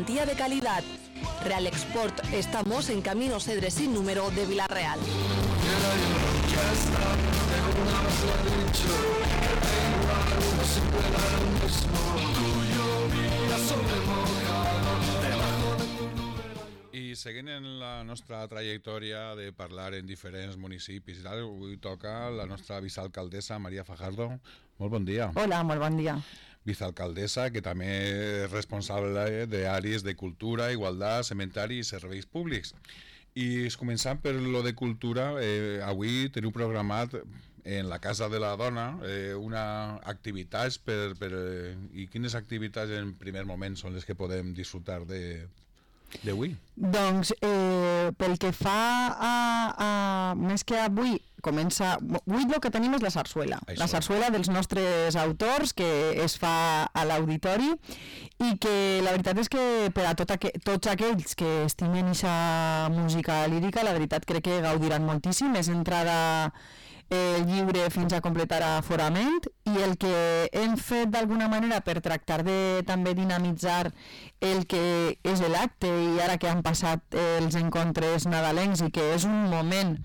Garantía de calidad. Real Export. Estamos en Camino Cedre sin número de Villarreal. I seguint en la nostra trajectòria de parlar en diferents municipis i tal, avui toca la nostra vicealcaldessa Maria Fajardo. Molt bon dia. Hola, molt bon dia. Vicealcaldessa, que també és responsable d'àrees de cultura, igualtat, cementari i serveis públics. I començant per lo de cultura, avui teniu programat en la Casa de la Dona una activitats i quines activitats en primer moment són les que podem disfrutar d'avui? Doncs pel que fa a més que avui comença... Avui el que tenim és la sarsuela. Això. La sarsuela dels nostres autors que es fa a l'auditori i que la veritat és que per a tots aquells que estimen aquesta música lírica, la veritat crec que gaudiran moltíssim. És entrada lliure fins a completar aforament i el que hem fet d'alguna manera per tractar de també dinamitzar el que és l'acte i ara que han passat els encontres nadalencs i que és un moment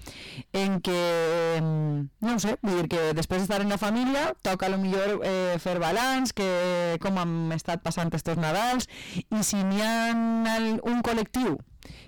en què, no ho sé, vull dir que després d'estar en la família toca potser fer balanç, que com han estat passant estos Nadals i si n'hi ha un col·lectiu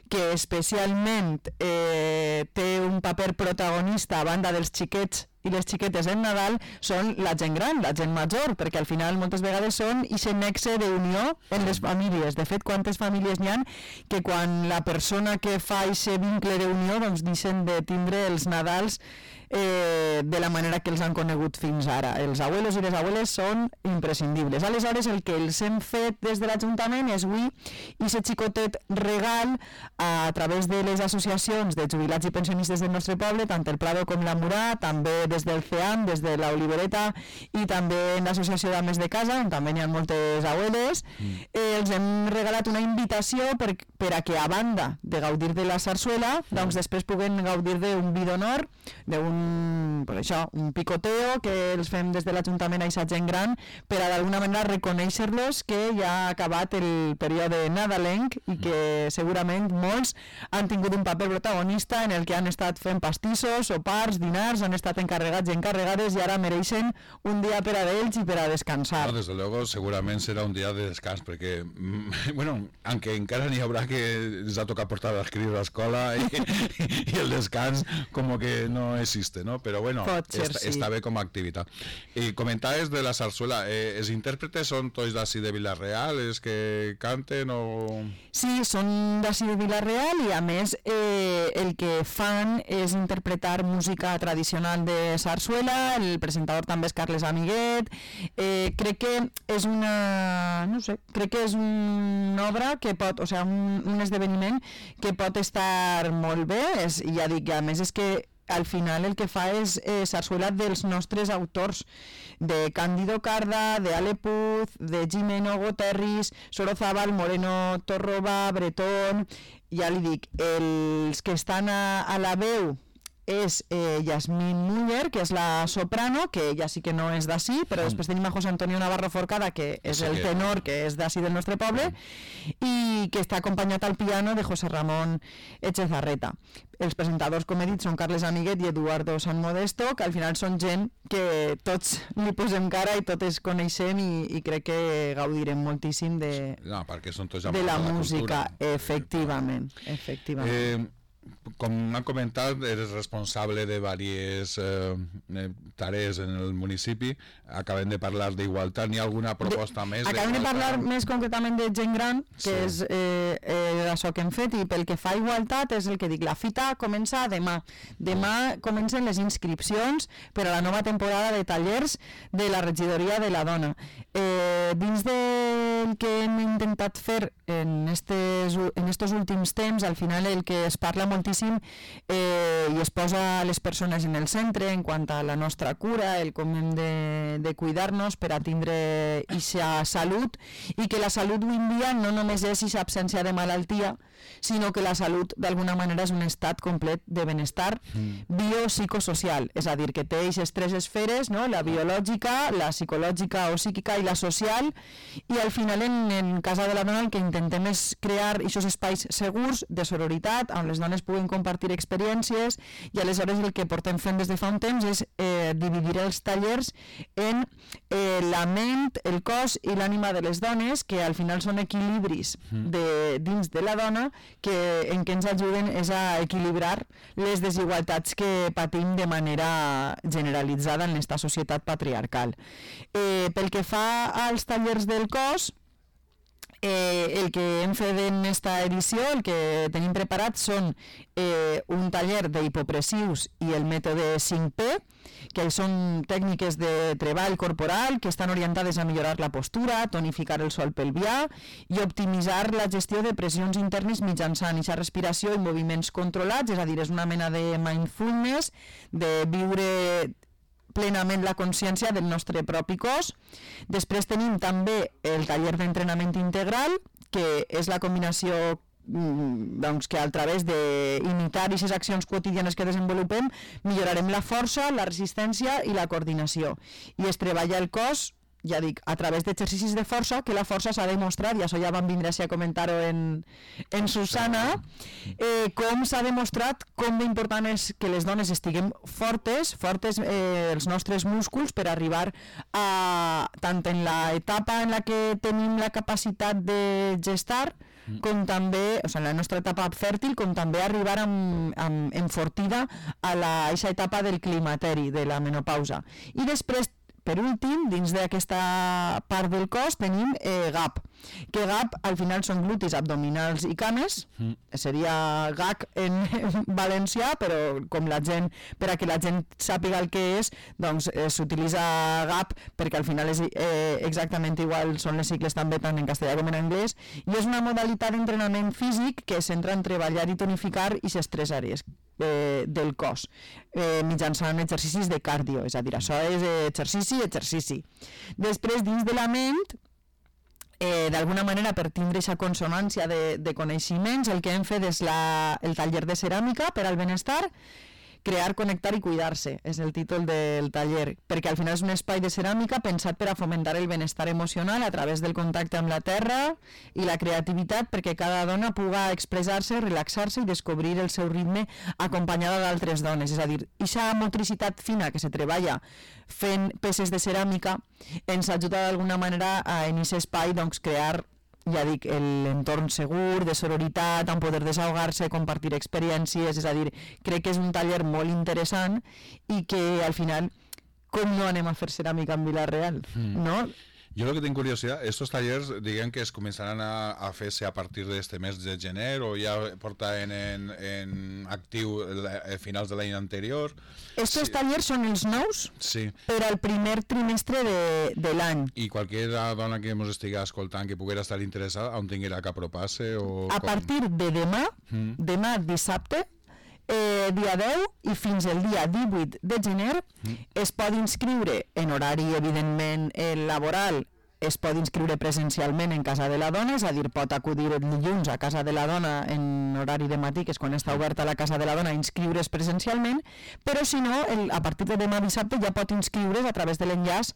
que especialment té un paper protagonista a banda dels xiquets i les xiquetes en Nadal, són la gent gran, la gent major, perquè al final moltes vegades són aquest nexe d'unió en les famílies. De fet, quantes famílies n'hi ha que quan la persona que fa aquest vincle d'unió doncs deixen de tindre els Nadals de la manera que els han conegut fins ara. Els abuelos i les abueles són imprescindibles. Aleshores, el que els hem fet des de l'Ajuntament és avui aquest xicotet regal a través de les associacions de jubilats i pensionistes del nostre poble, tant el Prado com la Murà, també des del CEAM, des de la Olivereta i també en l'associació d'Ames de Casa, on també n'hi ha moltes abueles. Els hem regalat una invitació per a que, a banda de gaudir de la sarsuela, doncs després puguen gaudir d'un vi d'honor, un picoteo que els fem des de l'Ajuntament a aquesta gent gran per a d'alguna manera reconèixer-los que ja ha acabat el període nadalenc i que segurament molts han tingut un paper protagonista en el que han estat fent pastissos, sopars, dinars, han estat encarregats i encarregades i ara mereixen un dia per a ells i per a descansar. No, desde luego segurament serà un dia de descans perquè, bueno, aunque encara n'hi haurà que ens ha tocat portar a escriure a l'escola i el descans como que no existe, ¿no? Pero bueno, està bé com a activitat. I comentaves de la sarsuela, els intèrpretes són tots d'ací de Villarreal, els que canten o...? Sí, són d'ací de Villarreal i a més el que fan és interpretar música tradicional de sarsuela, el presentador també és Carles Amiguet, crec que és una... no sé, crec que és una obra que pot, o sigui, un esdeveniment que pot estar molt bé, ja dic, a més és que al final el que fa és sarsuela dels nostres autors, de Cándido Carda, de Ale Puz, de Jimeno Goterris, Sorozábal, Moreno Torroba, Bretón, ja li dic, els que estan a la veu és Yasmín Muller, que és la soprano, que ja sí que no és d'ací, però després tenim a José Antonio Navarro Forcada, que és el tenor, que és d'ací del nostre poble, i que està acompanyat al piano de José Ramón Echezarreta. Els presentadors, com he dit, són Carles Amiguet i Eduardo San Modesto, que al final són gent que tots li posem cara i totes coneixem i crec que gaudirem moltíssim de la música, efectivament. Com han comentat, eres responsable de diverses tarees en el municipi. Acabem de parlar d'igualtat. N'hi ha alguna proposta més? Acabem de parlar més concretament de gent gran, que és això que hem fet, i pel que fa a igualtat és el que dic, la fita comença demà. Demà comencen les inscripcions per a la nova temporada de tallers de la regidoria de la dona. Dins del que hem intentat fer en estos últims temps, al final el que es parla molt moltíssim i es posa les persones en el centre en quant a la nostra cura, el com hem de cuidar-nos per a tindre aquesta salut, i que la salut avui en dia no només és aquesta absència de malaltia, sinó que la salut d'alguna manera és un estat complet de benestar biopsicosocial, és a dir, que té aquestes tres esferes, no? La biològica, la psicològica o psíquica i la social, i al final en Casa de la Dona el que intentem és crear aquests espais segurs de sororitat on les dones puguen compartir experiències, i aleshores el que portem fent des de fa un temps és dividir els tallers en la ment, el cos i l'ànima de les dones, que al final són equilibris dins de la dona en què ens ajuden és a equilibrar les desigualtats que patim de manera generalitzada en aquesta societat patriarcal. Pel que fa als tallers del cos, el que hem fet en aquesta edició, el que tenim preparat són un taller d'hipopressius i el mètode 5P, que són tècniques de treball corporal que estan orientades a millorar la postura, tonificar el sòl pelvià i optimitzar la gestió de pressions internes mitjançant aquesta respiració i moviments controlats, és a dir, és una mena de mindfulness, de viure plenament la consciència del nostre propi cos. Després tenim també el taller d'entrenament integral, que és la combinació que a través d'imitar aquestes accions quotidianes que desenvolupem millorarem la força, la resistència i la coordinació. I es treballa el cos, ja dic, a través d'exercicis de força, que la força s'ha demostrat, i això ja vam vindre a comentar-ho en Susana, com s'ha demostrat com d'important és que les dones estiguem fortes els nostres músculs per arribar a, tant en l'etapa en la que tenim la capacitat de gestar, com també, en la nostra etapa fèrtil, com també arribar enfortida a aquesta etapa del climateri, de la menopausa. I després, per últim, dins d'aquesta part del cos tenim GAP, que GAP al final són glutis, abdominals i cames, seria GAC en valencià, però com la gent, per a que la gent sàpiga el que és, doncs s'utilitza GAP perquè al final és exactament igual, són les sigles també tant en castellà com en anglès, i és una modalitat d'entrenament físic que es centra en treballar i tonificar aquestes tres àrees del cos mitjançant exercicis de cardio, és a dir, això és exercici. Després, dins de la ment, d'alguna manera, per tindre aquesta consonància de coneixements, el que hem fet és el taller de ceràmica per al benestar. Crear, connectar i cuidar-se és el títol del taller, perquè al final és un espai de ceràmica pensat per a fomentar el benestar emocional a través del contacte amb la terra i la creativitat, perquè cada dona puga expressar-se, relaxar-se i descobrir el seu ritme acompanyada d'altres dones. És a dir, aquesta motricitat fina que se treballa fent peces de ceràmica ens ajuda d'alguna manera a en aquest espai crear, ja dic, l'entorn segur, de sororitat, amb poder desahogar-se, compartir experiències, és a dir, crec que és un taller molt interessant i que al final, com no anem a fer ceràmica en Vila-real, no? Yo lo que tengo curiosidad, estos talleres, digan que comenzarán a hacerse a partir de este mes de gener o ya porta en actiu a finals de l'any anterior. Estos tallers són els nous per al primer trimestre de l'any. I qualsevol dona que ens estigui escoltant que poguera estar interessada, on tinguera que apropar-se? A partir de demà dissabte, dia 10 i fins el dia 18 de gener es pot inscriure en horari evidentment laboral, es pot inscriure presencialment en Casa de la Dona, és a dir, pot acudir el dilluns a Casa de la Dona en horari de matí, que és quan està oberta la Casa de la Dona, inscriure's presencialment, però si no, a partir de demà dissabte ja pot inscriure's a través de l'enllaç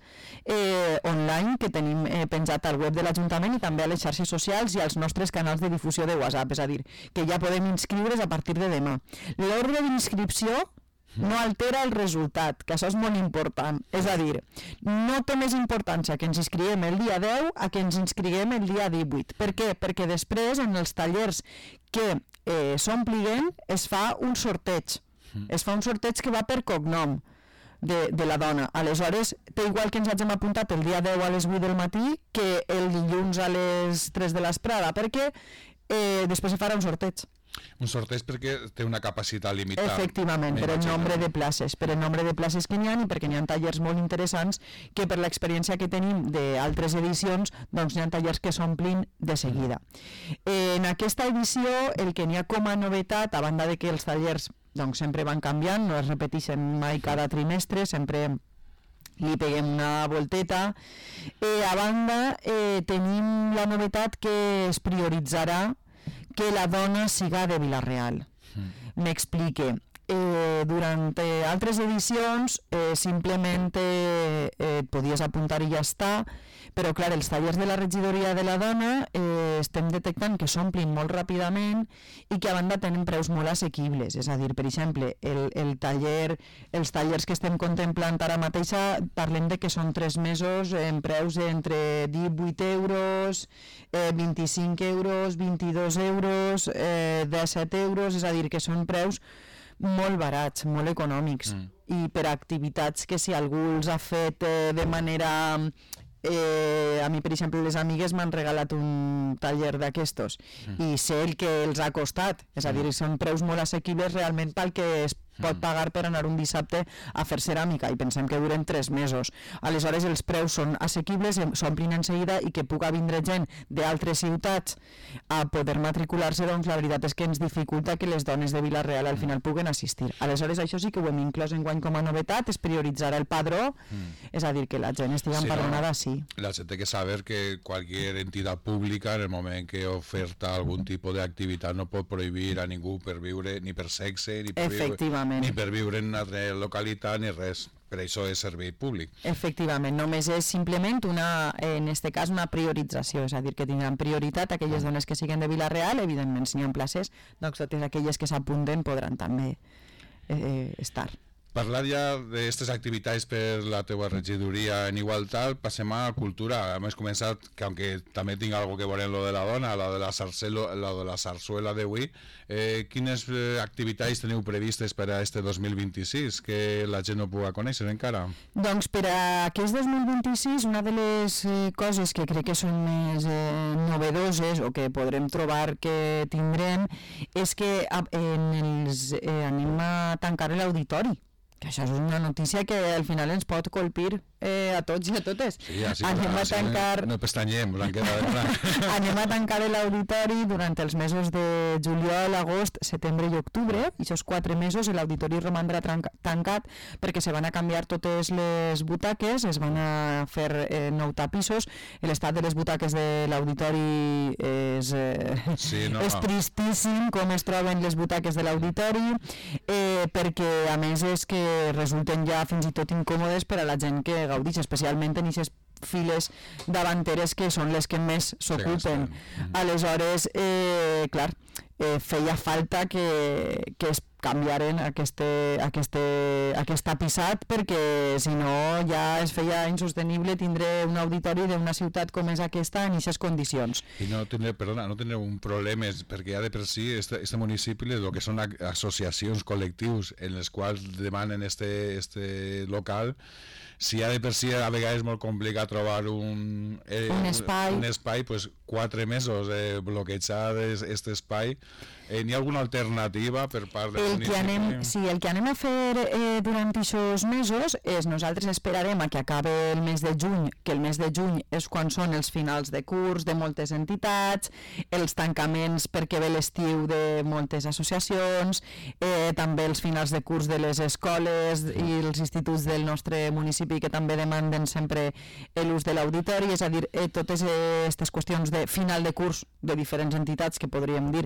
online que tenim penjat al web de l'Ajuntament i també a les xarxes socials i als nostres canals de difusió de WhatsApp, és a dir, que ja podem inscriure's a partir de demà. L'ordre d'inscripció no altera el resultat, que això és molt important. És a dir, no té més importància que ens inscriguem el dia 10 a que ens inscriguem el dia 18. Per què? Perquè després, en els tallers que s'ompliguem, es fa un sorteig. Es fa un sorteig que va per cognom de la dona. Aleshores, té igual que ens hagin apuntat el dia 10 a les 8 del matí que el dilluns a les 3 de l'esprada, perquè després se farà un sorteig. Un sorteig perquè té una capacitat limitada. Efectivament, per el nombre de places, que n'hi ha i perquè n'hi ha tallers molt interessants que per l'experiència que tenim d'altres edicions, doncs n'hi ha tallers que s'omplin de seguida. En aquesta edició, el que n'hi ha com a novetat, a banda de que els tallers doncs, sempre van canviant, no es repeteixen mai cada trimestre, sempre li peguem una volteta. A banda, tenim la novetat que es prioritzarà que la dona siga de Vila-real. M'explique. Durant altres edicions simplement et podies apuntar i ja està, però clar, els tallers de la regidoria de la dona estem detectant que s'omplin molt ràpidament i que a banda tenen preus molt assequibles, és a dir, per exemple, els tallers que estem contemplant ara mateixa parlem de que són 3 mesos en preus entre 18 euros, 25 euros, 22 euros, 17 euros, és a dir, que són preus molt barats, molt econòmics, i per activitats que si algú els ha fet de manera... a mi, per exemple, les amigues m'han regalat un taller d'aquestos i sé el que els ha costat, és a dir, són preus molt assequibles realment pel que es pot pagar per anar un dissabte a fer ceràmica i pensem que duren 3 mesos. Aleshores els preus són assequibles, s'omplin en seguida i que puga vindre gent d'altres ciutats a poder matricular-se, doncs la veritat és que ens dificulta que les dones de Vila-real al final puguen assistir. Aleshores això sí que ho hem inclòs enguany com a novetat, es prioritzarà el padró, és a dir, que la gent estigui empadronada, sí. La gent té que saber que qualsevol entitat pública en el moment que oferta algun tipus d'activitat no pot prohibir a ningú per viure ni per sexe, ni per viure en una altra localitat ni res. Per això és servei públic. Efectivament, només és simplement en aquest cas una priorització, és a dir, que tindran prioritat aquelles dones que siguin de Vila-real, evidentment si n'hi ha places, doncs totes aquelles que s'apunten podran també estar. Parlar ja d'aquestes activitats per la teua regidoria en igualtat, passem a cultura. Hem començat, que aunque també tinc algo que veure en lo de la dona, la de la sarsuela d'avui, quines activitats teniu previstes per a este 2026 que la gent no pugui conèixer encara? Doncs per a aquest 2026 una de les coses que crec que són més novedoses o que podrem trobar que tindrem és que anem a tancar l'auditori. Que això és una notícia que al final ens pot colpir a tots i a totes. Sí, no pestanyem, anem a tancar l'auditori durant els mesos de juliol, agost, setembre i octubre, i aquests 4 mesos l'auditori romandrà tancat perquè se van a canviar totes les butaques, es van a fer 9 tapissos, l'estat de les butaques de l'auditori és tristíssim com es troben les butaques de l'auditori, perquè a més és que resulten ja fins i tot incòmodes per a la gent que gaudix, especialment en aquestes files davanteres que són les que més s'ocupen. Aleshores, clar, feia falta que es canviaren aquest tapissat perquè si no ja es feia insostenible tindre un auditori d'una ciutat com és aquesta en aquestes condicions. I no tindré un problema perquè ja de per si este municipi el que són associacions, col·lectius en les quals demanen este local, si ja de per si a vegades és molt complicat trobar un espai, pues 4 mesos bloquejar aquest espai. N'hi ha alguna alternativa per part del municipi? El que anem a fer durant aquests mesos és nosaltres esperarem a que acabe el mes de juny, que el mes de juny és quan són els finals de curs de moltes entitats, els tancaments perquè ve l'estiu de moltes associacions, també els finals de curs de les escoles i els instituts del nostre municipi que també demanden sempre l'ús de l'auditori, és a dir, totes aquestes qüestions de final de curs de diferents entitats que podríem dir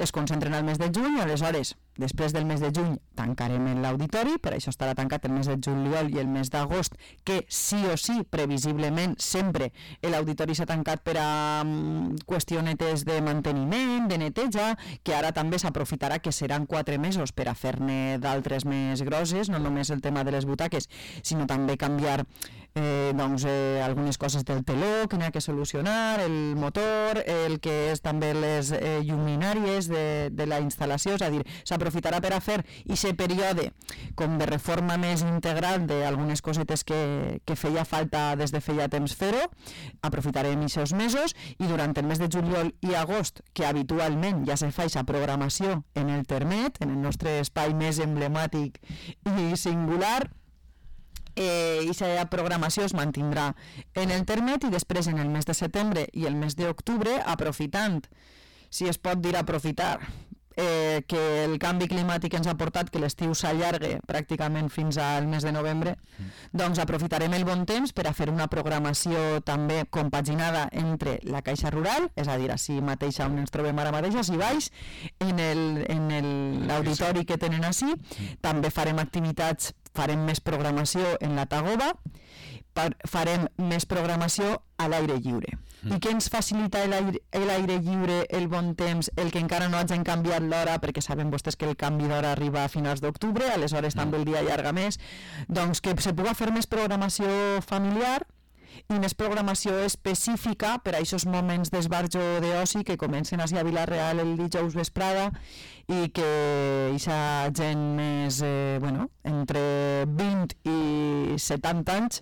es concentren al mes de juny. Aleshores, després del mes de juny tancarem l'auditori, per això estarà tancat el mes de juliol i el mes d'agost, que sí o sí, previsiblement, sempre l'auditori s'ha tancat per a qüestionetes de manteniment, de neteja, que ara també s'aprofitarà que seran 4 mesos per a fer-ne d'altres més grosses, no només el tema de les butaques, sinó també canviar algunes coses del teló que n'hi ha que solucionar, el motor, el que és també les lluminàries de la instal·lació, és a dir, s'aprofitarà per a fer aquest període com de reforma més integral d'algunes cosetes que feia falta des de feia temps fer-ho, aprofitarem aquests mesos i durant el mes de juliol i agost, que habitualment ja se fa aquesta programació en el Termet, en el nostre espai més emblemàtic i singular, aquesta programació es mantindrà en el Termet i després en el mes de setembre i el mes d'octubre, aprofitant, si es pot dir aprofitar, que el canvi climàtic ens ha portat que l'estiu s'allargue pràcticament fins al mes de novembre, doncs aprofitarem el bon temps per a fer una programació també compaginada entre la Caixa Rural, és a dir, així mateix on ens trobem ara mateix, així baix, en l'auditori que tenen així. També farem activitats, farem més programació en la Tagoba, farem més programació a l'aire lliure. I què ens facilita l'aire lliure, el bon temps, el que encara no hagin canviat l'hora, perquè saben vostès que el canvi d'hora arriba a finals d'octubre, aleshores també el dia allarga més, doncs que se pugui fer més programació familiar i més programació específica per a aquests moments d'esbarjo d'oci que comencen a Vila-real el dijous vesprada i que aquesta gent més, entre 20 i 70 anys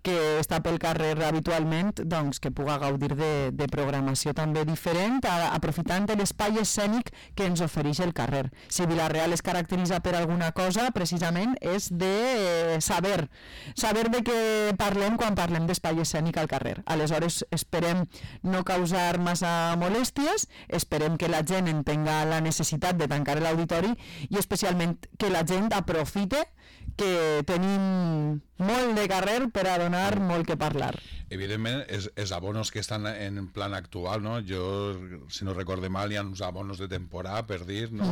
que està pel carrer habitualment, doncs que puga gaudir de programació també diferent, aprofitant l'espai escènic que ens ofereix el carrer. Si Vila-real es caracteritza per alguna cosa, precisament és de saber de què parlem quan parlem d'espai escènic al carrer. Aleshores esperem no causar massa molèsties, esperem que la gent entenga la necessitat de tancar l'auditori i especialment que la gent aprofite que tenim molt de carrer per a donar molt que parlar. Evidentment, els abonos que estan en plan actual, no? Jo, si no recorde mal, hi ha uns abonos de temporada, per dir, no?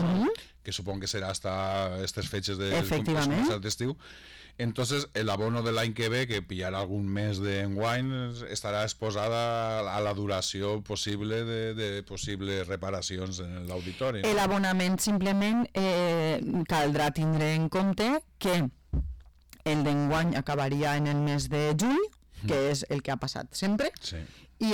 Que supon que serà hasta aquestes fetges d'estiu. Entonces, el abono de l'any que ve, que pillarà algun mes d'enguany, estarà exposada a la duració possible de possibles reparacions en l'auditori. L'abonament simplement caldrà tindre en compte que el d'enguany acabaria en el mes de juny, que és el que ha passat sempre, i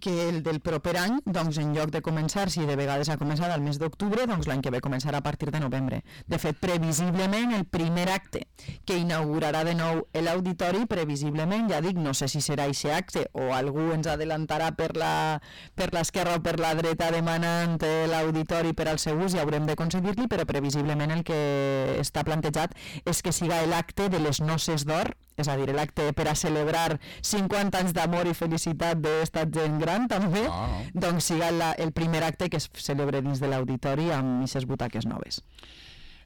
que el del proper any, doncs en lloc de començar, si de vegades ha començat al mes d'octubre, doncs l'any que ve començarà a partir de novembre. De fet, previsiblement, el primer acte que inaugurarà de nou l'auditori, previsiblement, ja dic, no sé si serà aquest acte o algú ens adelantarà per l'esquerra o per la dreta demanant l'auditori per al seu ús i haurem de concedir-li, però previsiblement el que està plantejat és que siga l'acte de les noces d'or, és a dir, l'acte per a celebrar 50 anys d'amor i felicitat d'estat gent gran també, doncs siga el primer acte que es celebre dins de l'auditori amb aquestes butaques noves.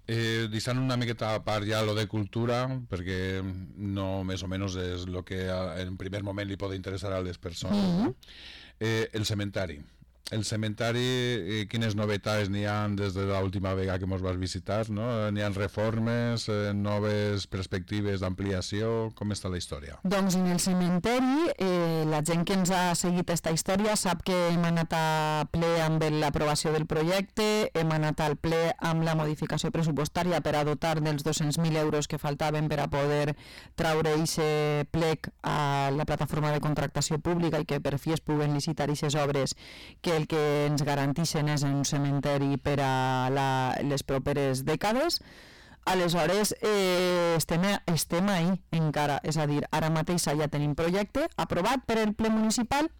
Deixant una miqueta a part ja lo de cultura, perquè no més o menys és el que en primer moment li pot interessar a les persones. El cementari. El cementari, quines novetats n'hi ha des de l'última vegada que ens vas visitar, no? N'hi ha reformes, noves perspectives d'ampliació, com està la història? Doncs en el cementeri, la gent que ens ha seguit aquesta història sap que hem anat a ple amb l'aprovació del projecte, hem anat al ple amb la modificació pressupostària per a dotar dels 200.000 euros que faltaven per a poder traure aquest plec a la plataforma de contractació pública i que per fi es puguen licitar aquestes obres que el que ens garanteixen és un cementeri per a les properes dècades. Aleshores, estem ahí encara, és a dir, ara mateix ja tenim projecte aprovat per el ple municipal,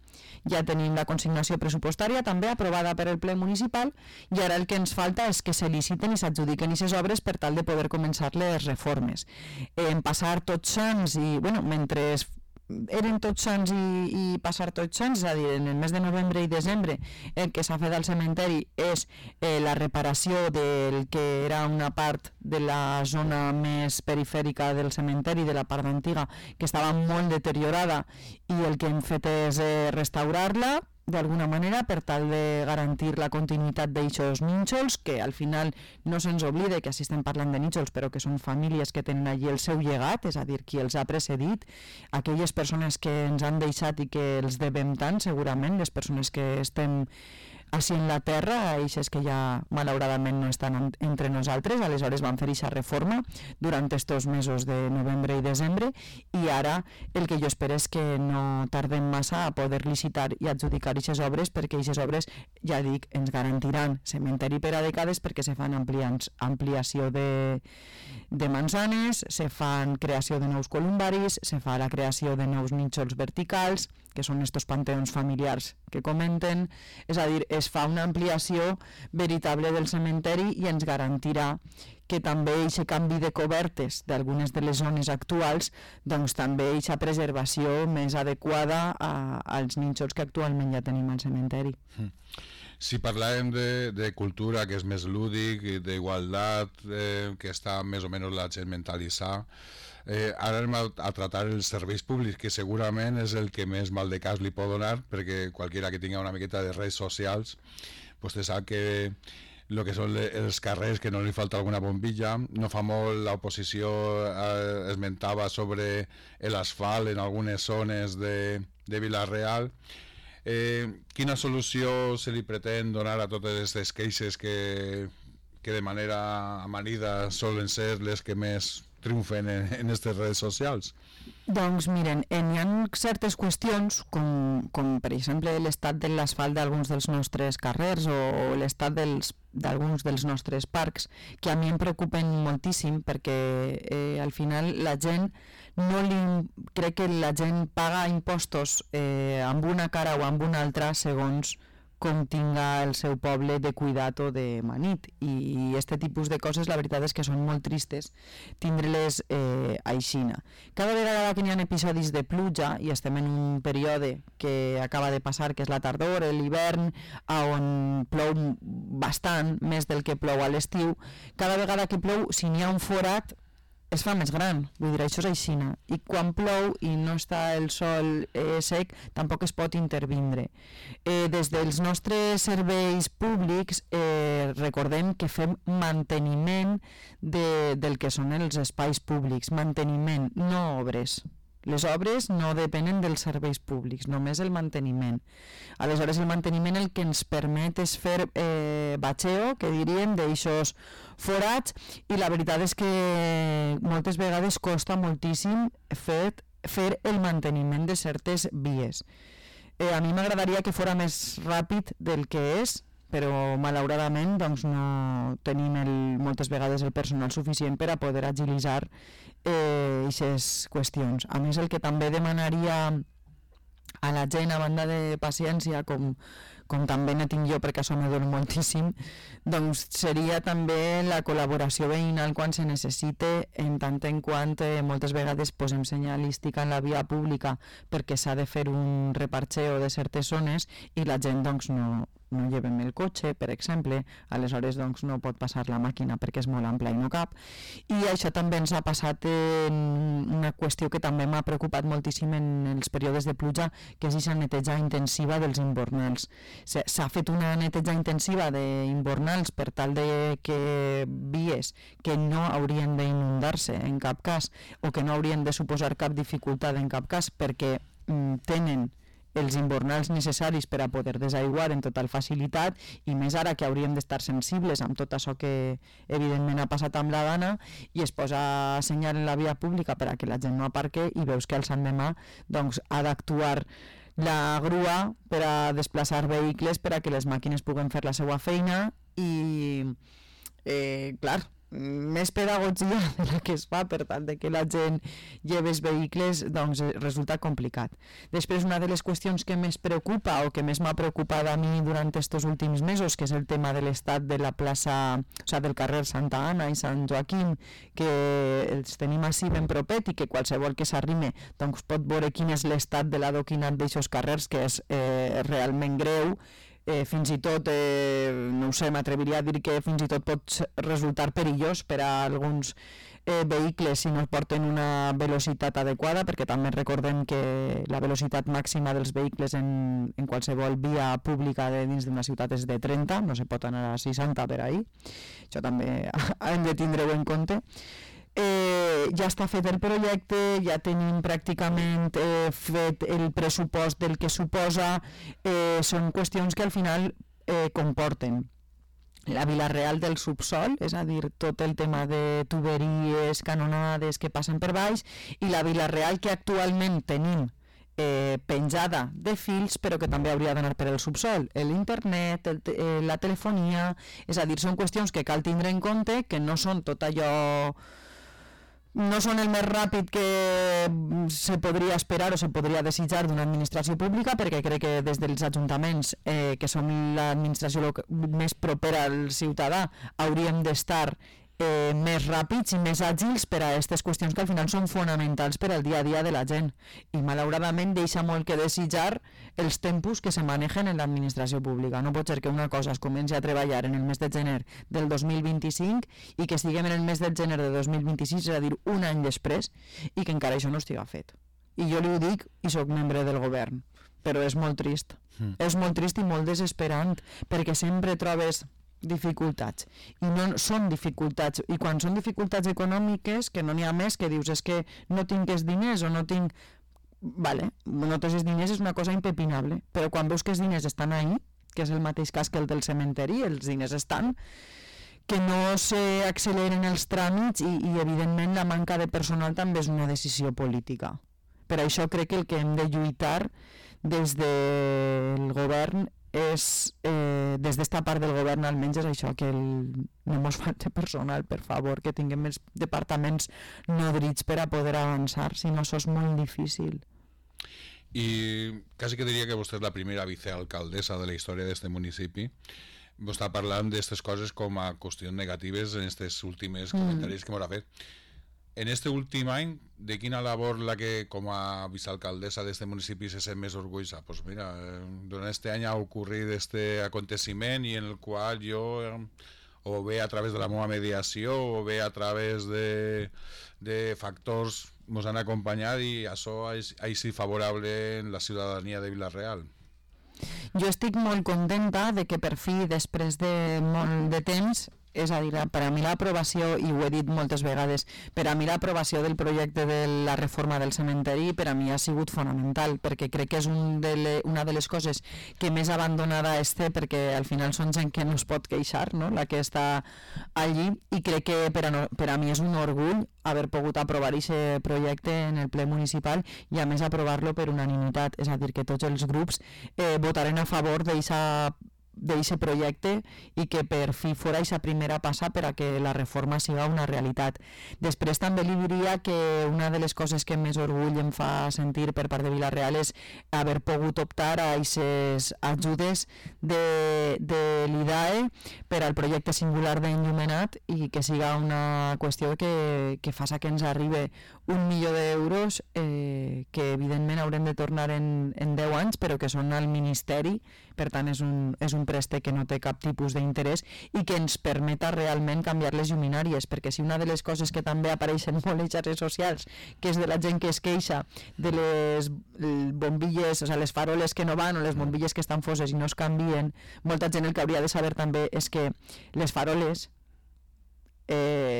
ja tenim la consignació pressupostària també aprovada per el ple municipal i ara el que ens falta és que se liciten i s'adjudiquen aquestes obres per tal de poder començar les reformes. En passar Tots Sants i, mentre eren Tots Sants i passar Tots Sants, és a dir, en el mes de novembre i desembre el que s'ha fet al cementeri és la reparació del que era una part de la zona més perifèrica del cementeri, de la part antiga, que estava molt deteriorada i el que hem fet és restaurar-la d'alguna manera per tal de garantir la continuïtat d'aixos nínxols, que al final no se'ns oblide que així estem parlant de nínxols, però que són famílies que tenen allí el seu llegat, és a dir, qui els ha precedit, aquelles persones que ens han deixat i que els devem tant, segurament, les persones que estem així en la terra, eixes que ja malauradament no estan entre nosaltres. Aleshores van fer aquesta reforma durant estos mesos de novembre i desembre, i ara el que jo espero és que no tardem massa a poder licitar i adjudicar aquestes obres, perquè aquestes obres, ja dic, ens garantiran cementeri per a dècades, perquè se fan ampliació de manzanes, se fan creació de nous columbaris, se fa la creació de nous nínxols verticals, que són estos panteons familiars que comenten, és a dir, es fa una ampliació veritable del cementeri i ens garantirà que també aquest canvi de cobertes d'algunes de les zones actuals, doncs també aquesta preservació més adequada als nínxols que actualment ja tenim al cementeri. Si parlàvem de cultura, que és més lúdic, d'igualtat, que està més o menys la gent mentalitzada, ara anem a tratar els serveis públics, que segurament és el que més mal de cas li pot donar, perquè qualsevol que tingui una miqueta de redes socials pues te sap que el que són els carrers, que no li falta alguna bombilla. No fa molt l'oposició esmentava sobre l'asfalt en algunes zones de Vila-real. Quina solució se li pretén donar a totes aquestes queixes que de manera amanida solen ser les que més triomfen en aquestes redes socials? Doncs miren, hi ha certes qüestions, com per exemple l'estat de l'asfalt d'alguns dels nostres carrers o l'estat d'alguns dels nostres parcs, que a mi em preocupen moltíssim, perquè al final la gent crec que la gent paga impostos amb una cara o amb una altra segons com tinga el seu poble de cuidat o de manit, i este tipus de coses la veritat és que són molt tristes tindre-les aixina. Cada vegada que hi ha episodis de pluja, i estem en un període que acaba de passar, que és la tardor, l'hivern, on plou bastant, més del que plou a l'estiu, cada vegada que plou, si n'hi ha un forat, es fa més gran, vull dir, això és aixina, i quan plou i no està el sol sec, tampoc es pot intervindre. Des dels nostres serveis públics recordem que fem manteniment del que són els espais públics, manteniment, no obres. Les obres no depenen dels serveis públics, només el manteniment. Aleshores, el manteniment el que ens permet és fer batxeo, que diríem, d'aixòs forats, i la veritat és que moltes vegades costa moltíssim fer el manteniment de certes vies. A mi m'agradaria que fora més ràpid del que és, però malauradament doncs, no tenim moltes vegades el personal suficient per a poder agilitzar aquestes qüestions. A més, el que també demanaria a la gent, a banda de paciència, com també ne tinc jo, perquè això me dona moltíssim, doncs seria també la col·laboració veïnal quan se necessite, en tant en quant moltes vegades posem senyalística en la via pública perquè s'ha de fer un reparxeo de certes zones i la gent doncs no llevem el cotxe, per exemple, aleshores doncs no pot passar la màquina perquè és molt ampla i no cap, i això també ens ha passat en una qüestió que també m'ha preocupat moltíssim en els períodes de pluja, que és aquesta neteja intensiva dels imbornals. S'ha fet una neteja intensiva d'imbornals per tal de que vies que no haurien d'inundar-se en cap cas, o que no haurien de suposar cap dificultat en cap cas, perquè tenen els imbornals necessaris per a poder desaiguar en total facilitat, i més ara que hauríem d'estar sensibles amb tot això que evidentment ha passat amb la dana, i es posa senyal en la via pública per a que la gent no aparque, i veus que al Sant Demà doncs, ha d'actuar la grua per a desplaçar vehicles per a que les màquines puguen fer la seva feina, i clar, més pedagogia de la que es fa per tal de que la gent lleve els vehicles, doncs resulta complicat. Després, una de les qüestions que més preocupa o que més m'ha preocupat a mi durant aquests últims mesos, que és el tema de l'estat de la plaça, o sigui, del carrer Santa Anna i Sant Joaquim, que els tenim així ben propet i que qualsevol que s'arrime doncs pot veure quin és l'estat de l'adoquinat d'aquests carrers, que és realment greu. Fins i tot, no ho sé, m'atreviria a dir que fins i tot pot resultar perillós per a alguns vehicles si no porten una velocitat adequada, perquè també recordem que la velocitat màxima dels vehicles en qualsevol via pública dins d'una ciutat és de 30, no se pot anar a 60 per ahí. Això també hem de tindre-ho en compte. Ja està fet el projecte, ja tenim pràcticament fet el pressupost del que suposa, són qüestions que al final comporten la Vila-real del subsol, és a dir, tot el tema de tuberies, canonades que passen per baix, i la Vila-real que actualment tenim penjada de fils, però que també hauria d'anar per el subsol, l'internet, la telefonia, és a dir, són qüestions que cal tindre en compte, que no són tot allò... no són el més ràpid que se podria esperar o se podria desitjar d'una administració pública, perquè crec que des dels ajuntaments, que som l'administració més propera al ciutadà, hauríem d'estar més ràpids i més àgils per a aquestes qüestions que al final són fonamentals per al dia a dia de la gent, i malauradament deixa molt que desitjar els tempos que se manegen en l'administració pública. No pot ser que una cosa es comenci a treballar en el mes de gener del 2025 i que estiguem en el mes de gener de 2026, és a dir, un any després, i que encara això no estiga fet. I jo li ho dic i sóc membre del govern, però és molt trist. És molt trist i molt desesperant, perquè sempre trobes dificultats, i no són dificultats, i quan són dificultats econòmiques que no n'hi ha més, que dius és que no tinc els diners o no tinc... Vale, no tens els diners és una cosa impepinable, però quan veus que els diners estan ahí, que és el mateix cas que el del cementeri, els diners estan, que no s'acceleren els tràmits i evidentment la manca de personal també és una decisió política. Per això crec que el que hem de lluitar des del govern és, des d'esta part del govern almenys, és això, que no mos falti personal, per favor, que tinguem els departaments nodrits per a poder avançar, si no això és molt difícil. I quasi que diria que vostè és la primera vicealcaldessa de la història d'este municipi. Vostè està parlant d'aquestes coses com a qüestions negatives en aquests últims comentaris que m'ha fet. En este últim any, de quina labor la que com a vicealcaldessa de este municipi se sent més orgullosa? Pues mira, durant este any ha ocorrit este aconteciment i en el qual jo, o bé a través de la meva mediació o bé a través de factors ens han acompanyat i això ha sigut favorable en la ciutadania de Vila-real. Jo estic molt contenta de que per fi, després de molt de temps, és a dir, per a mi l'aprovació, i ho he dit moltes vegades, per a mi l'aprovació del projecte de la reforma del cementeri per a mi ha sigut fonamental, perquè crec que és una de les coses que més abandonada està, perquè al final són gent que no es pot queixar, no? La que està allí, i crec que per a mi és un orgull haver pogut aprovar aquest projecte en el ple municipal i a més aprovar-lo per unanimitat, és a dir, que tots els grups votaren a favor d'aquest projecte i que per fi fora aquesta primera passa per a que la reforma siga una realitat. Després també li diria que una de les coses que més orgull em fa sentir per part de Vila-real és haver pogut optar a aquestes ajudes de l'IDAE per al projecte singular d'enllumenat i que siga una qüestió que faça que ens arribi 1 milió d'euros que evidentment haurem de tornar en 10 anys, però que són al Ministeri, per tant és un préstec que no té cap tipus d'interès i que ens permeta realment canviar les lluminàries, perquè si una de les coses que també apareixen molt a les xarxes socials, que és de la gent que es queixa de les bombilles, o sigui, les faroles que no van o les bombilles que estan foses i no es canvien, molta gent el que hauria de saber també és que les faroles,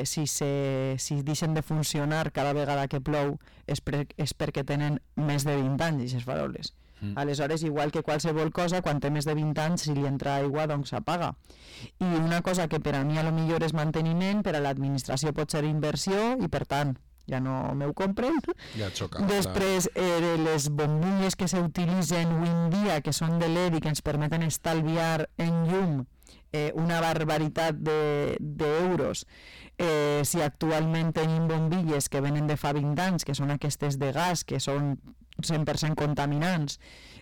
si deixen de funcionar cada vegada que plou és perquè tenen més de 20 anys, aquestes faroles. Aleshores, igual que qualsevol cosa, quan té més de 20 anys, si li entra aigua, doncs s'apaga. I una cosa que per a mi a lo millor és manteniment, per a l'administració pot ser inversió, i per tant, ja no m'ho compren. Ja xoca. Després, les bombilles que s'utilitzen avui en dia, que són de LED i que ens permeten estalviar en llum una barbaritat d'euros, si actualment tenim bombilles que venen de fa 20 anys, que són aquestes de gas, que són 100% contaminants,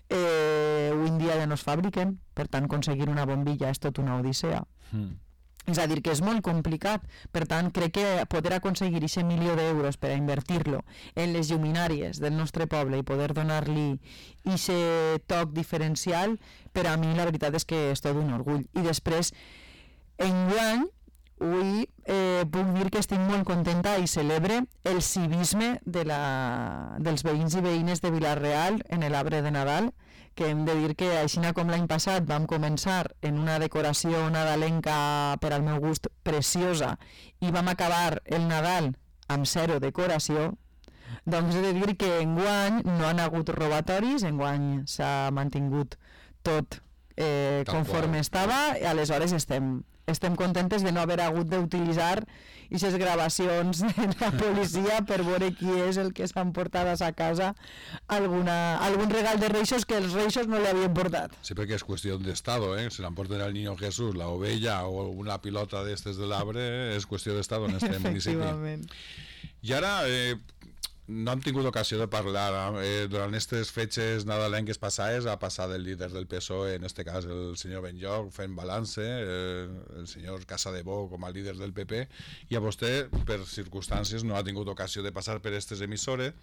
avui en dia ja no es fabriquen, per tant aconseguir una bombilla és tot una odissea. És a dir, que és molt complicat. Per tant, crec que poder aconseguir aquest 1 milió d'euros per a invertir-lo en les lluminàries del nostre poble i poder donar-li aquest toc diferencial, per a mi la veritat és que és tot un orgull. I després, enguany, avui puc dir que estic molt contenta i celebre el civisme dels veïns i veïnes de Vila-real en l'arbre de Nadal, que hem de dir que així com l'any passat vam començar en una decoració nadalenca per al meu gust preciosa i vam acabar el Nadal amb 0 decoració, doncs he de dir que enguany no han hagut robatoris, enguany s'ha mantingut tot conforme estava, i aleshores estem contentes de no haver hagut d'utilitzar aquestes gravacions de la policia per veure qui és el que s'han portat a sa casa algun regal de Reixos que els Reixos no li havien portat. Sí, perquè és qüestió d'estado, se l'emporten al Niño Jesús, la ovella o una pilota d'estes de l'arbre, és qüestió d'estado en este municipi. I ara... no hem tingut ocasió de parlar durant aquestes fetges nadalenques passades. Ha passat el líder del PSOE, en este cas el senyor Benlloch, fent balance, el senyor Casadevó com a líder del PP, i a vostè, per circumstàncies, no ha tingut ocasió de passar per aquestes emissores.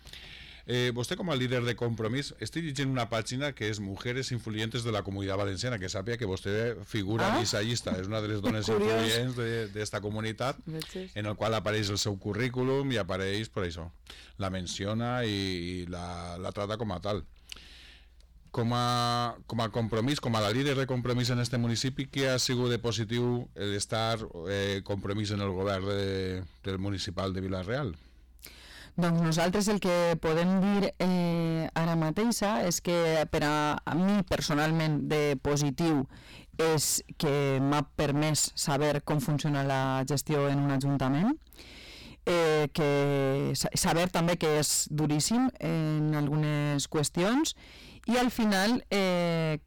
Vostè, com a líder de Compromís, estic llegint una pàgina que és Mujeres Influyentes de la Comunitat Valenciana, que sàpiga que vostè figura en aquesta llista, és una de les dones influents d'esta comunitat, en el qual apareix el seu currículum i apareix, per això, la menciona i la trata com a tal. Com a Compromís, com a la líder de Compromís en este municipi, què ha sigut de positiu l'estar Compromís en el govern del municipal de Vila-real? Doncs nosaltres el que podem dir ara mateixa és que per a mi personalment de positiu és que m'ha permès saber com funciona la gestió en un ajuntament, que saber també que és duríssim en algunes qüestions, i al final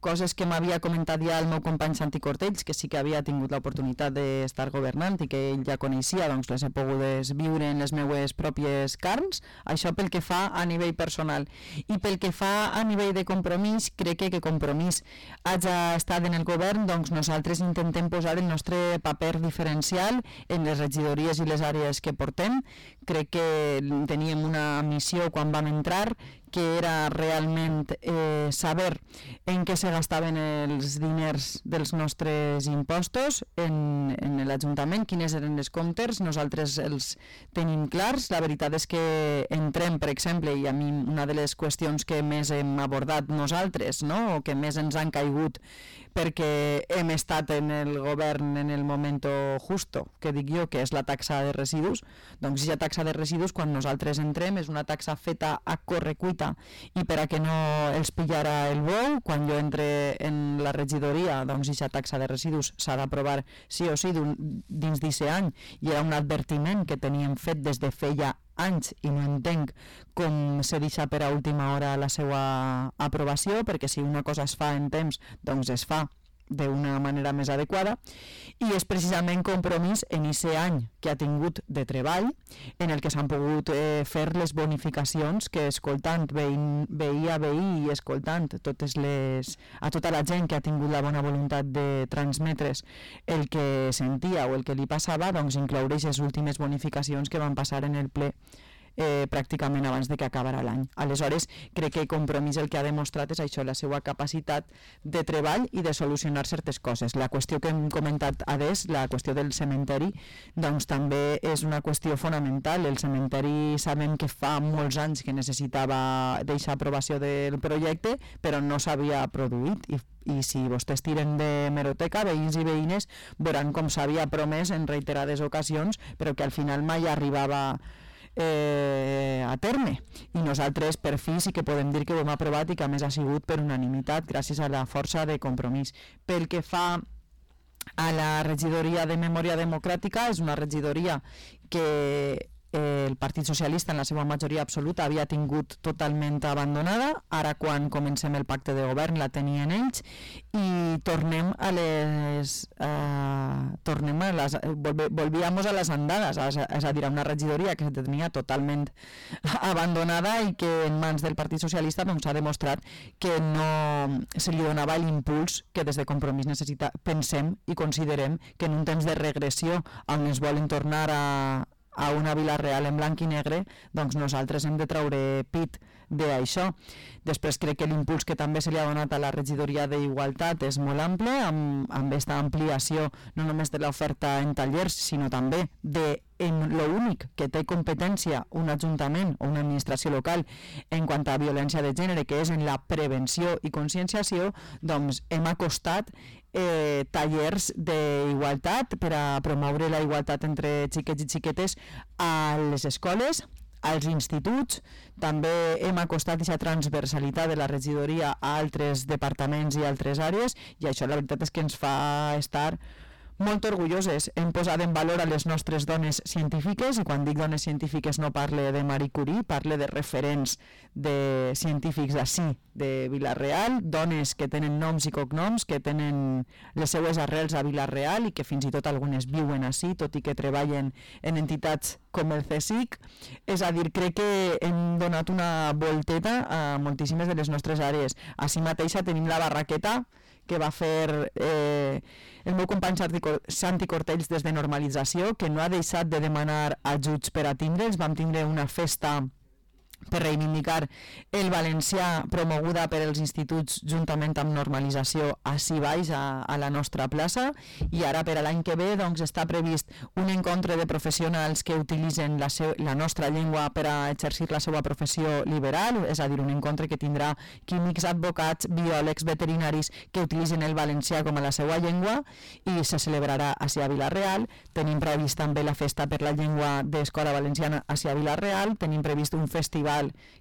coses que m'havia comentat ja el meu company Santi Cortells, que sí que havia tingut l'oportunitat d'estar governant i que ell ja coneixia, doncs les he pogut viure en les meues pròpies carns. Això pel que fa a nivell personal. I pel que fa a nivell de Compromís, crec que Compromís hagi estat en el govern, doncs nosaltres intentem posar el nostre paper diferencial en les regidories i les àrees que portem. Crec que teníem una missió quan vam entrar, que era realment saber en què se gastaven els diners dels nostres impostos en l'Ajuntament, quines eren les comptes. Nosaltres els tenim clars. La veritat és que entrem, per exemple, i a mi una de les qüestions que més hem abordat nosaltres, no?, o que més ens han caigut perquè hem estat en el govern en el moment justo, que dic jo, que és la taxa de residus. Doncs aquesta taxa de residus, quan nosaltres entrem, és una taxa feta a correcuita, i per a que no els pillara el bou, quan jo entre en la regidoria, doncs aquesta taxa de residus s'ha d'aprovar sí o sí dins d'aquest any, i era un advertiment que teníem fet des de feia anys i no entenc com se deixa per a última hora la seva aprovació, perquè si una cosa es fa en temps, doncs es fa d'una manera més adequada, i és precisament Compromís en aquest any que ha tingut de treball, en el que s'han pogut fer les bonificacions que, escoltant veí a veí i escoltant a tota la gent que ha tingut la bona voluntat de transmetre's el que sentia o el que li passava, doncs incloure les últimes bonificacions que van passar en el ple pràcticament abans de que acabara l'any. Aleshores, crec que Compromís el que ha demostrat és això, la seva capacitat de treball i de solucionar certes coses. La qüestió que hem comentat adés, la qüestió del cementeri, doncs també és una qüestió fonamental. El cementeri sabem que fa molts anys que necessitava deixar aprovació del projecte, però no s'havia produït, i si vostès tiren de meroteca, veïns i veïnes veuran com s'havia promès en reiterades ocasions, però que al final mai arribava a terme, i nosaltres per fi sí que podem dir que ho hem aprovat i que a més ha sigut per unanimitat gràcies a la força de Compromís. Pel que fa a la regidoria de Memòria Democràtica, és una regidoria que el Partit Socialista en la seva majoria absoluta havia tingut totalment abandonada. Ara, quan comencem el pacte de govern, la tenien ells, i volvíamos a les andades, és a dir, a una regidoria que se tenia totalment abandonada i que en mans del Partit Socialista s'ha demostrat que no se li donava l'impuls que des de Compromís pensem i considerem que en un temps de regressió on es volen tornar a una Vila-real en blanc i negre, doncs nosaltres hem de treure pit d'això. Després crec que l'impuls que també se li ha donat a la regidoria d'Igualtat és molt ample, amb aquesta ampliació no només de l'oferta en tallers, sinó també de l'únic que té competència un ajuntament o una administració local en quant a violència de gènere, que és en la prevenció i conscienciació. Doncs hem acostat tallers d'igualtat per a promoure la igualtat entre xiquets i xiquetes a les escoles, als instituts. També hem acostat aquesta transversalitat de la regidoria a altres departaments i altres àrees, i això la veritat és que ens fa estar molt orgulloses. Hem posat en valor a les nostres dones científiques, i quan dic dones científiques no parle de Marie Curie, parle de referents de científics d'ací, de Vila-real, dones que tenen noms i cognoms, que tenen les seues arrels a Vila-real i que fins i tot algunes viuen ací, tot i que treballen en entitats com el CSIC. És a dir, crec que hem donat una volteta a moltíssimes de les nostres àrees. Així mateixa tenim la barraqueta que va fer el meu company Santi Cortells des de Normalització, que no ha deixat de demanar ajuts per a tindre'ls. Vam tindre una festa per reivindicar el valencià promoguda per als instituts juntament amb Normalització ací baix a la nostra plaça, i ara per a l'any que ve doncs, està previst un encontre de professionals que utilitzen la nostra llengua per a exercir la seva professió liberal, és a dir, un encontre que tindrà químics, advocats, biòlegs, veterinaris que utilitzen el valencià com a la seva llengua, i se celebrarà ací a Vila-real. Tenim previst també la festa per la llengua d'Escola Valenciana ací a Vila-real, tenim previst un festival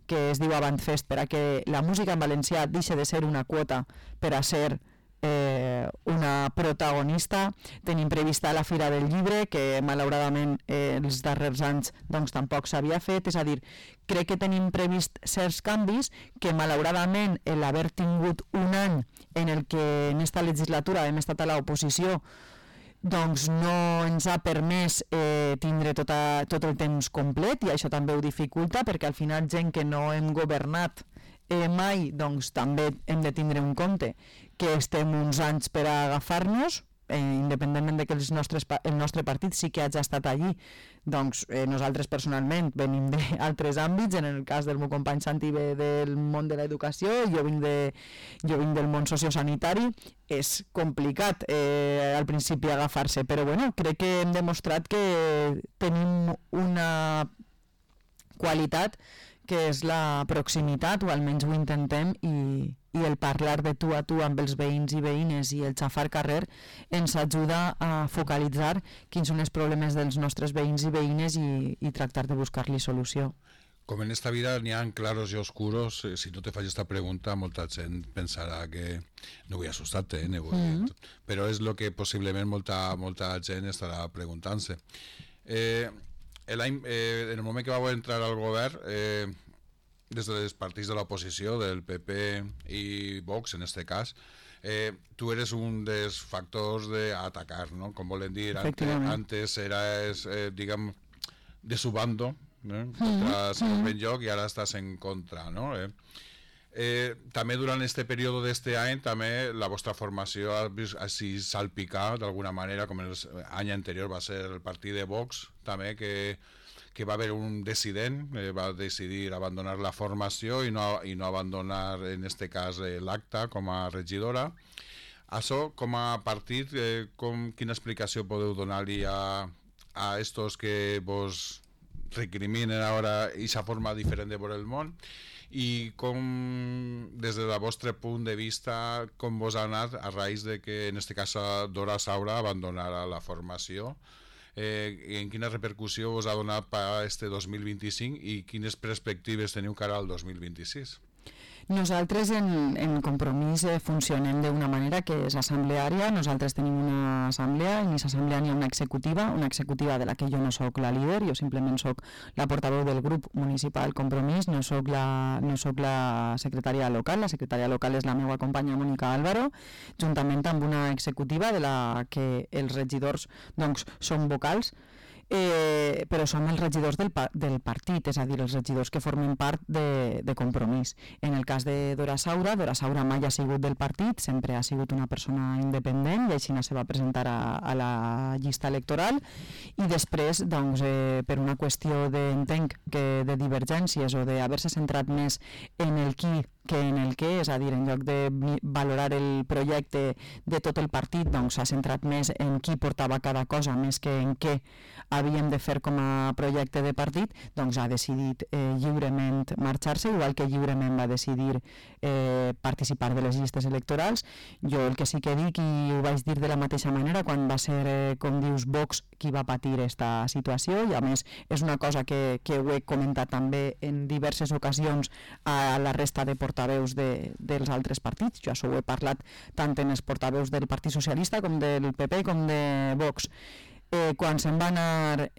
que es diu Avantfest per a que la música en valencià deixi de ser una quota per a ser una protagonista. Tenim prevista la Fira del Llibre, que malauradament els darrers anys doncs, tampoc s'havia fet. És a dir, crec que tenim previst certs canvis que malauradament l'haver tingut un any en el que en esta legislatura hem estat a l'oposició doncs no ens ha permès tindre tot el temps complet, i això també ho dificulta, perquè al final gent que no hem governat mai, doncs també hem de tindre en compte que estem uns anys per a agafar-nos, independentment de que el nostre partit sí que hagi estat allí. Doncs nosaltres personalment venim d'altres àmbits. En el cas del meu company Santi ve del món de l'educació, jo vinc del món sociosanitari. És complicat al principi agafar-se, però bueno, crec que hem demostrat que tenim una qualitat que és la proximitat, o almenys ho intentem, i el parlar de tu a tu amb els veïns i veïnes i el xafar carrer ens ajuda a focalitzar quins són els problemes dels nostres veïns i veïnes i tractar de buscar-li solució. Com en esta vida n'hi ha claros i oscuros, si no te faig esta pregunta, molta gent pensarà que no vull assustar-te, però és el que possiblement molta gent estarà preguntant-se. En el moment que vau entrar al govern, des dels partits de l'oposició, del PP i Vox en este cas, tu eres un dels factors d'atacar, ¿no? Com volen dir, antes eras, diguem, de su bando, contra Senyor Benlloch, i ara estàs en contra, no? També durant este període d'este any, també la vostra formació ha vist així salpicar d'alguna manera, com l'any anterior va ser el partit de Vox, també que va haver un dissident, va decidir abandonar la formació i no abandonar, en este cas, l'acta com a regidora. Això, com a partit, quina explicació podeu donar-li a estos que vos recriminen ara aquesta forma diferent de veure el món? I com, des del vostre punt de vista, com vos ha anat a raïs de que, en este cas, Dora Saura abandonara la formació? En quina repercussió us ha donat per a este 2025 i quines perspectives teniu cara al 2026? Nosaltres en Compromís funcionem d'una manera que és assembleària. Nosaltres tenim una assemblea, en aquesta assemblea n'hi ha una executiva de la que jo no sóc la líder, jo simplement sóc la portaveu del grup municipal Compromís, no sóc la secretària local. La secretària local és la meva companya Mònica Álvaro, juntament amb una executiva de la que els regidors doncs, són vocals, però som els regidors del partit, és a dir, els regidors que formen part de Compromís. En el cas de Dora Saura mai ha sigut del partit, sempre ha sigut una persona independent, i així se va presentar a la llista electoral, i després, doncs, per una qüestió d'entenc de divergències o d'haver-se centrat més en el qui que en el què, és a dir, en lloc de valorar el projecte de tot el partit, doncs s'ha centrat més en qui portava cada cosa, més que en què havíem de fer com a projecte de partit, doncs ha decidit lliurement marxar-se, igual que lliurement va decidir participar de les llistes electorals. Jo el que sí que dic, i ho vaig dir de la mateixa manera, quan va ser, com dius, Vox qui va patir aquesta situació, i a més és una cosa que ho he comentat també en diverses ocasions a la resta de portaveus dels altres partits. Jo això ho he parlat tant en els portaveus del Partit Socialista com del PP com de Vox. Quan se'n va anar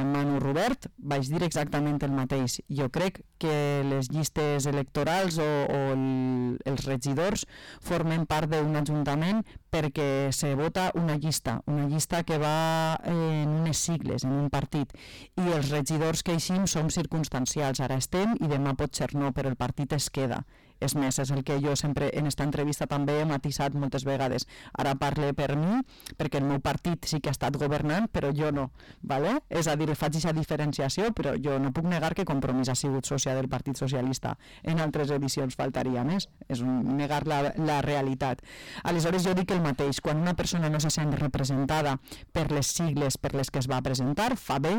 Manu Robert vaig dir exactament el mateix. Jo crec que les llistes electorals o els regidors formen part d'un ajuntament perquè se vota una llista que va en unes sigles, en un partit, i els regidors que eixim som circumstancials. Ara estem i demà pot ser no, però el partit es queda. És més, és el que jo sempre en esta entrevista també he matisat moltes vegades. Ara parle per mi, perquè el meu partit sí que ha estat governant, però jo no. ¿vale? És a dir, faig aquesta diferenciació, però jo no puc negar que Compromís ha sigut sòcia del Partit Socialista. En altres edicions faltaria més. És negar la realitat. Aleshores jo dic el mateix. Quan una persona no se sent representada per les sigles per les que es va presentar, fa bé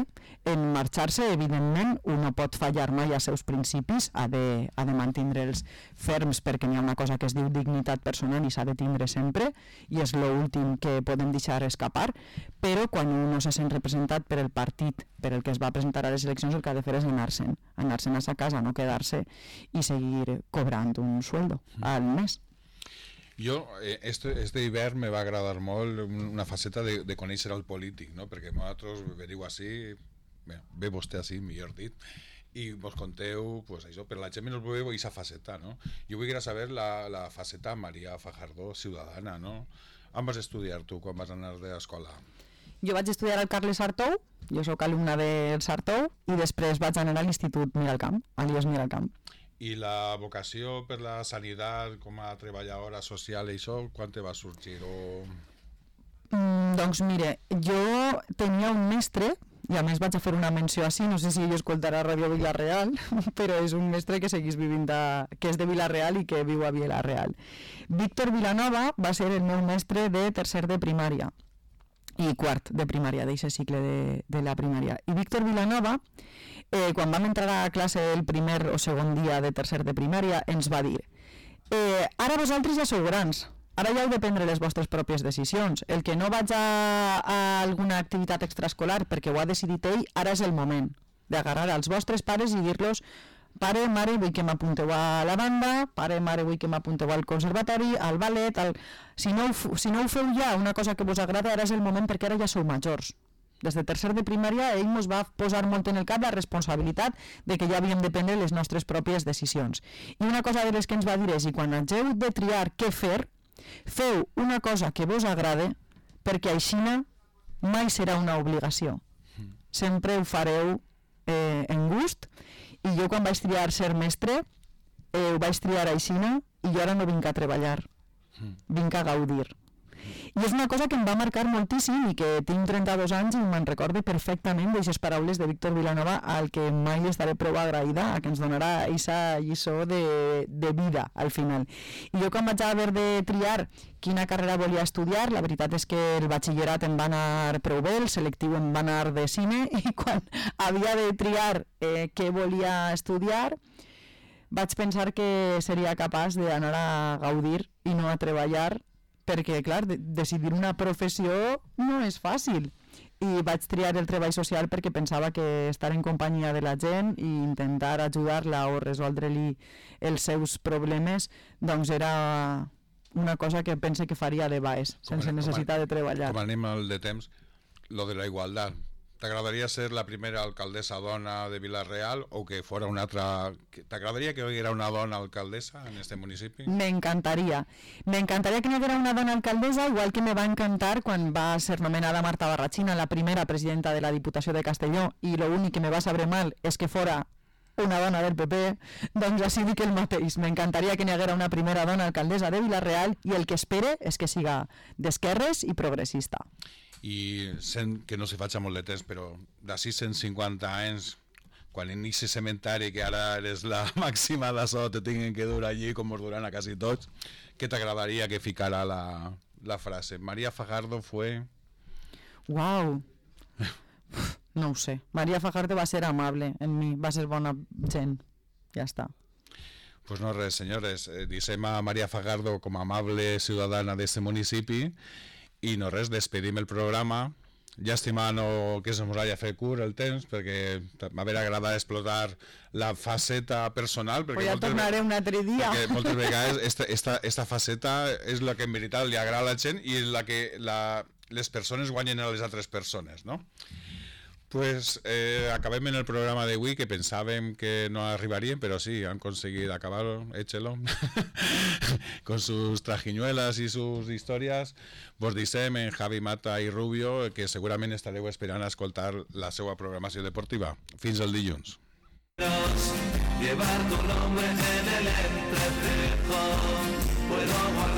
en marxar-se. Evidentment, un no pot fallar mai als seus principis, ha de mantindre'ls ferms, perquè n'hi ha una cosa que es diu dignitat personal i s'ha de tindre sempre, i és l'últim que podem deixar escapar, però quan un no se sent representat per el partit per el que es va presentar a les eleccions, el que ha de fer és anar-se'n a sa casa, no quedar-se i seguir cobrant un sueldo al mes. Jo, este hivern me va agradar molt una faceta de conèixer el polític, no? Perquè vosaltres veniu així, ve vostè així, millor dit, i vos conteu, pues això, per la gent no veu aquesta faceta, no? Jo vull saber la faceta Maria Fajardo, ciutadana, no? On vas estudiar tu quan vas anar de l'escola? Jo vaig estudiar al Carles Sartou, jo sóc alumna del Sartou, i després vaig anar a l'Institut Miralcamp, alias Miralcamp. I la vocació per la sanitat com a treballadora social i això, quan te va sorgir? Doncs mire, jo tenia un mestre, i a més vaig a fer una menció així, no sé si ell escoltarà Ràdio Vila-real, però és un mestre que seguís vivint, que és de Vila-real i que viu a Vila-real. Víctor Vilanova va ser el meu mestre de tercer de primària i quart de primària, d'aquest cicle de la primària. I Víctor Vilanova, quan vam entrar a classe el primer o segon dia de tercer de primària, ens va dir ara vosaltres ja sou grans, ara ja heu de prendre les vostres pròpies decisions. El que no vaig a alguna activitat extraescolar perquè ho ha decidit ell, ara és el moment d'agarrar als vostres pares i dir-los pare, mare, vull que m'apunteu a la banda, pare, mare, vull que m'apunteu al conservatori, al ballet, si no ho feu ja, una cosa que vos agrada, ara és el moment perquè ara ja sou majors. Des de tercer de primària ell ens va posar molt en el cap la responsabilitat de que ja havíem de prendre les nostres pròpies decisions. I una cosa de les que ens va dir és, i quan hageu de triar què fer, feu una cosa que vos agrade, perquè aixina mai serà una obligació. Sempre ho fareu en gust, i jo quan vaig triar ser mestre ho vaig triar aixina, i jo ara no vinc a treballar, vinc a gaudir. I és una cosa que em va marcar moltíssim i que tinc 32 anys i me'n recordo perfectament d'aquestes paraules de Víctor Vilanova, al que mai estaré prou agraïda, a que ens donarà aquesta lliçó de vida al final. I jo quan vaig haver de triar quina carrera volia estudiar, la veritat és que el batxillerat em va anar prou bé, el selectiu em va anar de cine, i quan havia de triar què volia estudiar vaig pensar que seria capaç d'anar a gaudir i no a treballar, perquè, clar, decidir una professió no és fàcil. I vaig triar el treball social perquè pensava que estar en companyia de la gent i intentar ajudar-la o resoldre-li els seus problemes, doncs era una cosa que pense que faria de baix, sense necessitat de treballar. Com anem al de temps, lo de la igualtat. T'agradaria ser la primera alcaldessa dona de Vila-real o que fora una altra... T'agradaria que hi haguera una dona alcaldessa en este municipi? M'encantaria. M'encantaria que hi haguera una dona alcaldessa, igual que me va encantar quan va ser nomenada Marta Barrachina, la primera presidenta de la Diputació de Castelló, i l'únic que me va saber mal és que fora una dona del PP, doncs així dic el mateix. M'encantaria que n'hi haguera una primera dona alcaldessa de Vila-real, i el que espere és que siga d'esquerres i progressista. I sent que no se faig molt de temps, però d'ací 150 anys quan en ese cementari, que ara eres la màxima d'això, te tinguen que dur allí, com us duran a quasi tots, què t'agradaria que ficara la frase? María Fajardo fue... Wow. No ho sé. María Fajardo va ser amable en mi, va ser bona gent. Ja està. Pues no res, senyores, dicem a María Fajardo com a amable ciutadana d'este municipi i no res, despedim el programa, llàstima que se mos hagi fet curt el temps, perquè m'haver agradat explotar la faceta personal, perquè ja tornaré un altre dia. Perquè moltes vegades esta faceta és la que en veritat li agrada a la gent i la que les persones guanyen a les altres persones, no? Pues acabem en el programa d'avui, que pensàvem que no arribaríem, però sí, han conseguit acabar-lo, échelo, con sus trajiñuelas y sus historias. Vos dicem en Javi Mata i Rubio que segurament estareu esperant a escoltar la seva programació deportiva. Fins el dilluns. Llevar tu nombre en el entrecejo, puedo guardar